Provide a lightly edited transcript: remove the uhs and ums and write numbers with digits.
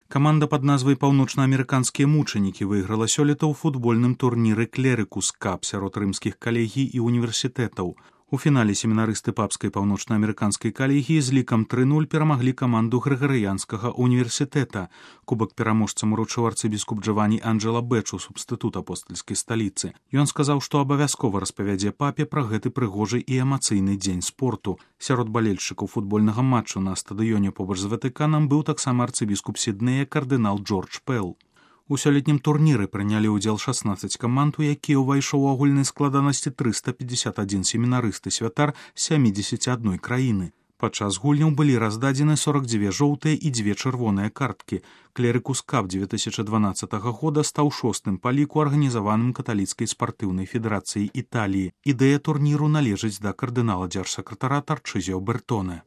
Каманда пад назвай «Паўночнаамерыканскія мучанікі» выйграла сёлета ў футбольным турніры «Клерыкус Кап» сярод рымскіх калегій і універсітэтаў. У фінале семінарысты папскай паўночнаамерыканскай калегіі з лікам 3-0 перамаглі каманду Грыгарыянскага універсітэта. Кубак пераможцам уручыў арцыбіскуп Джавані Анджела Бэчу, субстытут апостальскай сталіцы. Ён сказаў, што абавязкова распавядзе папе пра гэты прыгожы і эмацыйны дзень спорту. Сярод балельшчыкаў футбольнага матчу на стадыёне побач з Ватыканам быў таксама арцыбіскуп Сіднея кардынал Джордж Пэл. У сёлетнім турніры прынялі ўдзел 16 каманд, у якія ўвайшоў у агульнай складанасці 351 семінарысты святар з 71 краіны. Падчас гульняў былі раздадзены 42 жоўтыя і 2 чырвоныя карткі. Клерыкус Кап 2012 года стаў 6-м па ліку арганізаваным каталіцкай спартыўнай федэрацыяй Італіі. Ідэя турніру належыць да кардынала дзяржсакратара Тарчызіо Бертоне.